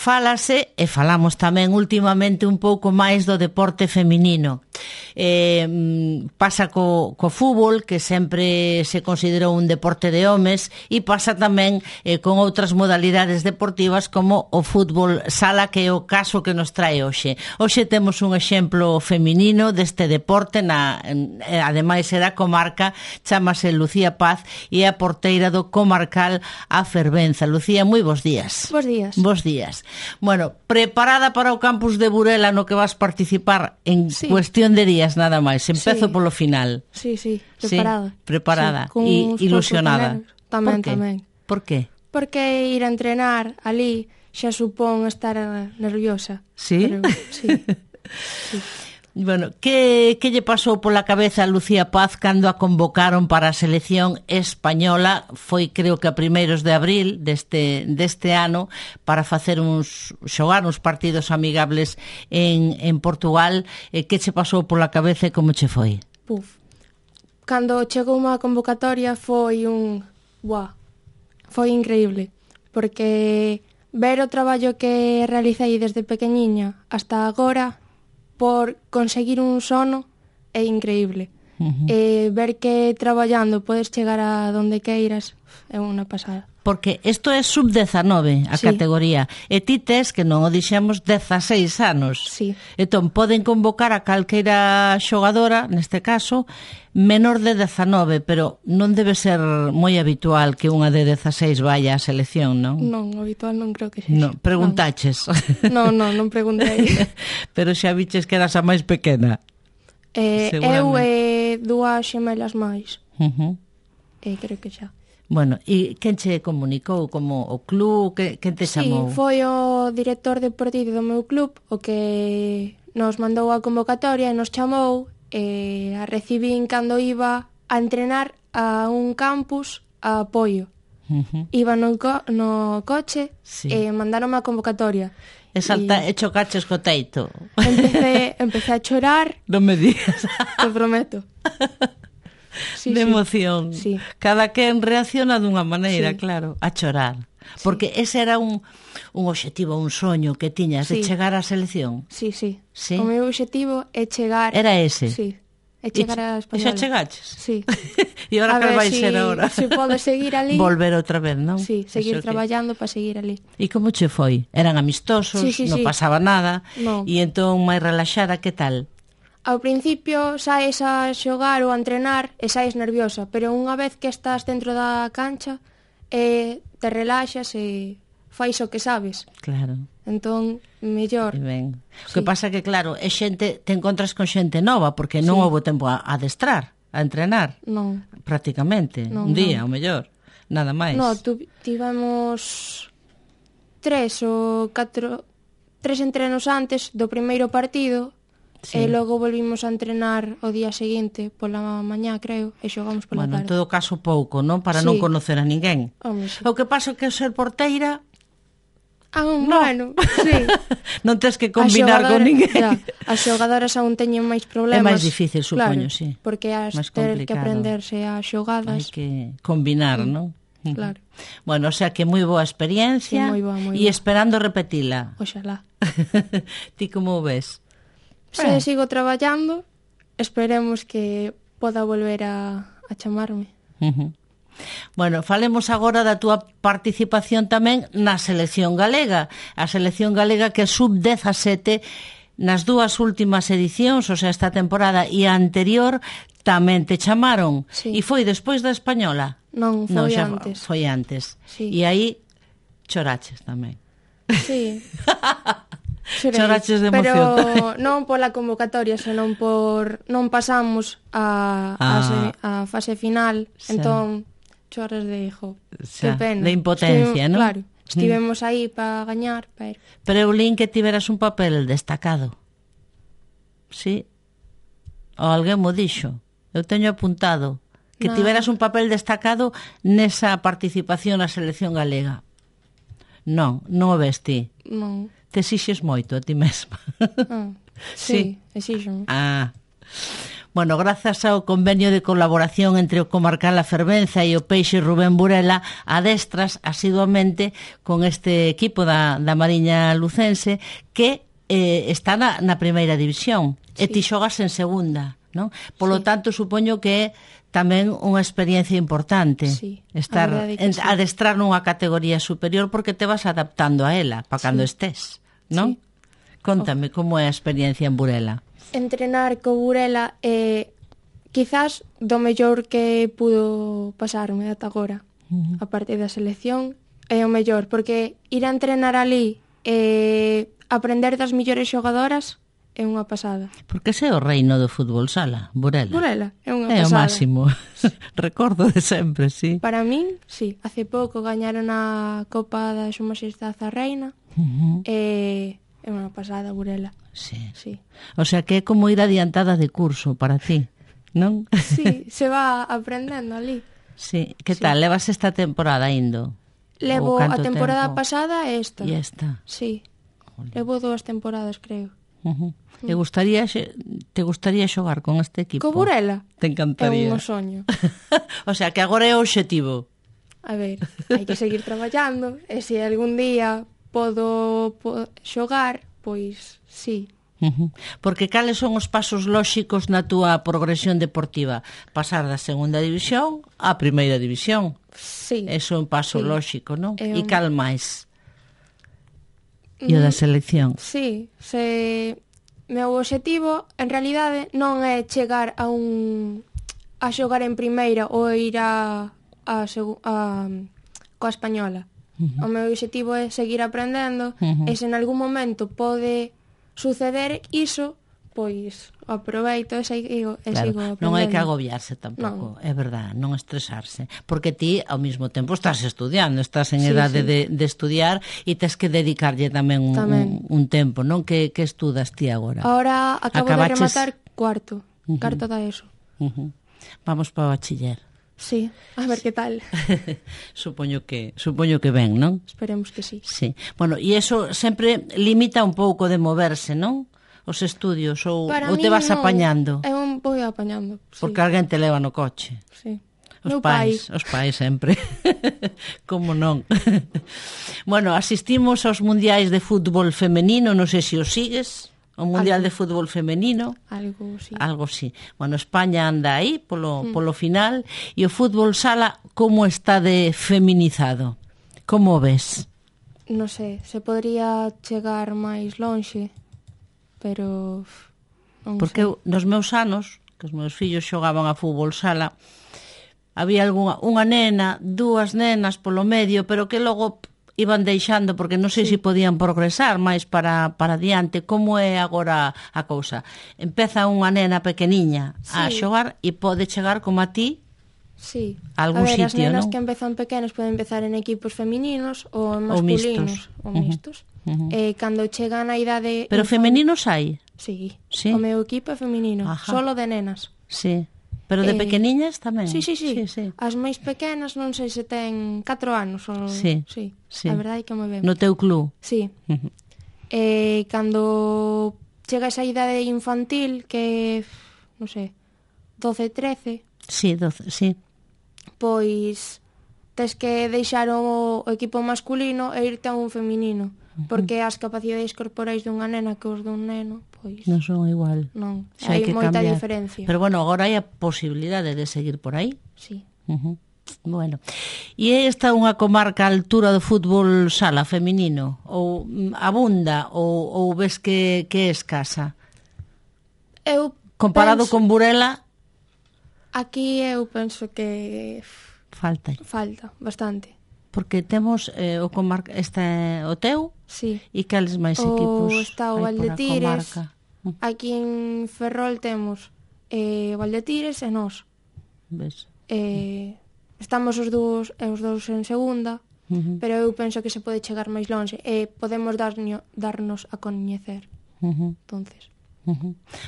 fálase, e falamos tamén últimamente un pouco máis do deporte feminino. Pasa co fútbol, que sempre se considerou un deporte de homes, e pasa tamén con outras modalidades deportivas como o fútbol sala, que é o caso que nos trae hoxe. Hoxe temos un exemplo feminino deste deporte, ademais é da comarca, chamase Lucía Paz e é a porteira do comarcal A Fervenza. Lucía, moi bons días. Bos días. Bos días. Bueno, preparada para o campus de Burela no que vas participar en cuestión de días nada máis. Empezo polo final. Sí, preparada. Sí, preparada e ilusionada. Tamén. Por qué? Porque ir a entrenar ali xa supón estar nerviosa. Sí? Pero, sí. Bueno, que lle pasou pola cabeza a Lucía Paz cando a convocaron para a selección española? Foi, creo que a primeiros de abril deste ano, para facer xogar uns partidos amigables en Portugal. Que che pasou pola cabeza e como che foi? Cando chegou unha convocatoria foi increíble, porque ver o traballo que realicei desde pequeniña hasta agora por conseguir un sono é increíble. Ver que traballando podes chegar a donde queiras é unha pasada. Porque isto é sub-19 a categoría, e ti tes, que non o dixemos, 16 anos. Sí. Entón, poden convocar a calqueira xogadora, neste caso, menor de 19, pero non debe ser moi habitual que unha de 16 vaya á selección, non? Non, habitual non creo que sexa. Non, preguntaches. Non preguntei. Pero xa viches que eras a máis pequena. Eu e dúas xemelas máis. Creo que xa. Bueno, e quen che comunicou? Como o club? Quen te chamou? Sí, foi o director deportivo do meu club o que nos mandou a convocatoria e nos chamou, e a recibín cando iba a entrenar a un campus a apoio. Iba no coche e mandaronme a convocatoria. E chocaches co teito. Empecé a chorar. Non me digas. Te prometo. De emoción. Sí. Cada quen reacciona dunha maneira, claro, a chorar. Porque ese era un obxectivo, un soño que tiñas de chegar á selección. Sí. O meu obxectivo é chegar... Era ese? Sí. É chegar á española. E xa chegaches? Sí. E agora que vai ser agora? Se pode seguir ali. Volver outra vez, non? Sí, seguir traballando para seguir ali. E como che foi? Eran amistosos, non pasaba nada, e entón máis relaxada, que tal? Ao principio saes a xogar ou a entrenar e saes nerviosa, pero unha vez que estás dentro da cancha te relaxas e fais o que sabes. Claro. Entón, mellor. O que pasa que, claro, te encontras con xente nova, porque non houve tempo a adestrar, a entrenar. Non. Prácticamente. Un día, o mellor. Nada máis. Non, tivemos 3 entrenos antes do primeiro partido. E logo volvimos a entrenar o día seguinte pola mañá, creo, e xogamos pola tarde. En todo caso pouco, non? Para non conocer a ninguén. O que pasa que ser porteira... Bueno, sí. Non tens que combinar con ninguén. As xogadoras aún teñen máis problemas. É máis difícil, supoño, sí. Porque has ter que aprenderse as xogadas. Hai que combinar, non? Claro. Bueno, o sea que moi boa experiencia. Moi boa. E esperando repetila. Oxalá. Ti como ves? Se sigo traballando, esperemos que poda volver a chamarme. Bueno, falemos agora da túa participación tamén na selección galega. A selección galega que é sub-17 nas dúas últimas edicións, o sea, esta temporada e a anterior, tamén te chamaron. E foi despois da española? Non, foi antes. Foi antes. E aí choraches tamén. Sí. Choraches de emoción. Pero non pola convocatoria, senón non pasamos a fase final, entón choras de que pena. De impotencia, non? Claro, estivemos aí para gañar, pero eu lín que tiveras un papel destacado. Sí? Ou alguén mo dixo. Eu teño apuntado que tiveras un papel destacado nesa participación na selección galega. Non o ves ti. Non. Te exixes moito a ti mesma. Sí, exixo. Bueno, grazas ao convenio de colaboración entre o Comarcal A Fervenza e o Peixe Rubén Burela, adestras asiduamente con este equipo da Mariña Lucense que está na primeira división, e ti xogas en segunda, non? Polo tanto, supoño que é tamén unha experiencia importante estar adestrar nunha categoría superior, porque te vas adaptando a ela para cando estés, non? Contame como é a experiencia en Burela. Entrenar co Burela é quizás do mellor que pudo pasarme ata agora. A parte da selección é o mellor, porque ir a entrenar ali e aprender das millores xogadoras é unha pasada. Porque ese é o reino do fútbol sala, Burela. Burela é unha É pasada. o máximo. Recordo de sempre, sí. Para min, sí. Hace pouco gañaron a Copa da Súa Majestade a Reina. É unha pasada, Burela. Sí. Sí. O sea que é como ir adiantada de curso para ti, non? Sí, se va aprendendo ali. Sí. Que tal? Levas esta temporada indo? Levo a temporada pasada e esta. E esta? Sí. Levo 2 temporadas, creo. Te gustaría xogar con este equipo? Co Burela? Te encantaría. É un soño. O sea, que agora é o obxectivo. A ver, hai que seguir traballando e se algún día podo xogar, pois sí. Porque cales son os pasos lóxicos na túa progresión deportiva? Pasar da segunda división á primeira división. Sí. Eso é un paso lóxico, non? E cal máis? E o da selección. Sí, meu obxectivo en realidade non é chegar a xogar en primeira ou ir coa española. O meu obxectivo é seguir aprendendo e se en algún momento pode suceder iso, pois aproveito e sigo aprendendo. Non hai que agobiarse tampouco, é verdad, non estresarse, porque ti ao mesmo tempo estás estudiando, estás en edade de estudiar e tes que dedicarlle tamén un tempo, non? Que estudas ti agora? Ahora acabo de rematar cuarto da ESO. Vamos para o bachiller. Sí, a ver que tal. Supoño que ben, non? Esperemos que sí. Sí. Bueno, e eso sempre limita un pouco de moverse, non? Os estudios, ou te vas apañando? Eu vou apañando, sí. Porque alguén te leva no coche. Sí. Os pais sempre. Como non? Bueno, asistimos aos mundiais de fútbol femenino, non sei se os sigues. O Mundial de Fútbol Femenino. Algo sí. Bueno, España anda aí polo final. E o fútbol sala, como está de feminizado? Como ves? Non sei, se podría chegar máis lonxe, pero non sei. Porque nos meus anos, que os meus fillos xogaban a fútbol sala, había unha nena, 2 nenas polo medio, pero que logo iban deixando, porque non sei se podían progresar máis para diante. Como é agora a cousa? Empeza unha nena pequeniña a xogar e pode chegar como a ti a algún sitio, non? As nenas que empezan pequenas poden empezar en equipos femininos ou masculinos ou mistos. Cando chegan a idade... Pero femeninos hai? Sí. O meu equipo é feminino, solo de nenas. Sí. Pero de pequeniñas tamén? Sí. As máis pequenas non sei se ten 4 anos ou... Sí. A verdade é que moi ben. No teu club? Sí. Cando chega esa idade infantil, que non sei, 12, 13... Sí, 12, sí. Pois tes que deixar o equipo masculino e irte a un feminino, porque as capacidades corporais dunha nena que os dun neno, pois... Non son igual. Non, hai moita diferencia. Pero bueno, agora hai a posibilidade de seguir por aí. Sí. Bueno, e esta é unha comarca a altura do fútbol sala feminino? Ou abunda? Ou ves que é escasa? Comparado con Burela? Aquí eu penso que... Falta bastante. Porque temos o teu? Sí. E cales máis equipos está o Valdetires. Aquí en Ferrol temos o Valdetires e nós. Ves? Estamos os dous en segunda, pero eu penso que se pode chegar máis longe e podemos darnos a coñecer. Entonces...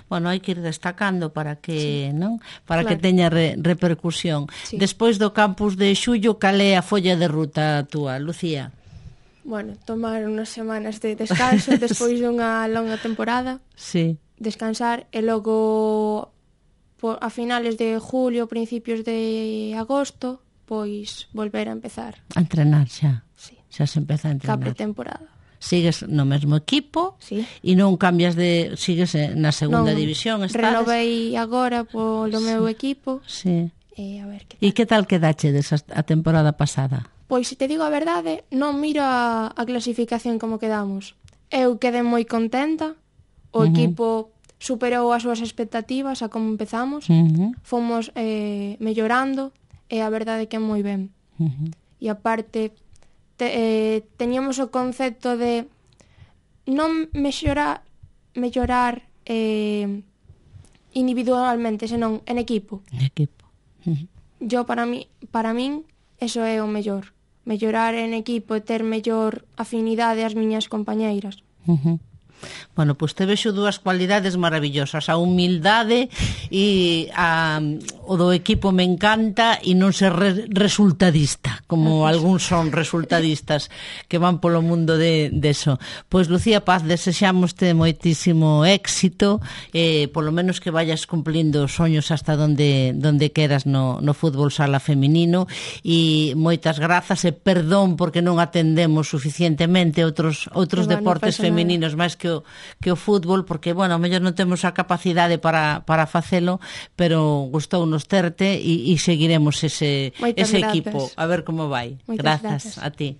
Bueno, hai que ir destacando para que, non? Para que teña repercusión. Despois do campus de Xullo, cal é a folla de ruta túa, Lucía? Bueno, tomar unhas semanas de descanso despois dunha longa temporada. Sí. Descansar e logo a finales de julio, principios de agosto, pois volver a empezar. A entrenar xa. Sí. Xa se empeza a entrenar. Ca pretemporada. Sigues no mesmo equipo, Sí. E non cambias sigues na segunda división, estás? Renovei agora polo meu equipo. Sí. A ver que tal. E que tal quedache a temporada pasada? Pois, se te digo a verdade, non miro a clasificación como quedamos. Eu quedei moi contenta. O equipo superou as súas expectativas a como empezamos. Fomos mellorando e a verdade que é moi ben. E aparte, teñamos o concepto de non mellorar individualmente, senón en equipo. En equipo. Yo, para min, eso é o mellor. Mellorar en equipo e ter mellor afinidade ás miñas compañeiras. Bueno, pois te vexo dúas cualidades maravillosas, a humildade e o do equipo me encanta, e non ser resultadista, como algúns son resultadistas que van polo mundo de eso. Pois, Lucía Paz, desexámoste moitísimo éxito, polo menos que vayas cumplindo os soños hasta donde queras no fútbol sala feminino, e moitas grazas e perdón porque non atendemos suficientemente outros deportes femininos máis que o fútbol, porque, bueno, ao mellor non temos a capacidade para facelo, pero gustounos terte e seguiremos ese equipo, a ver como vai. Grazas a ti.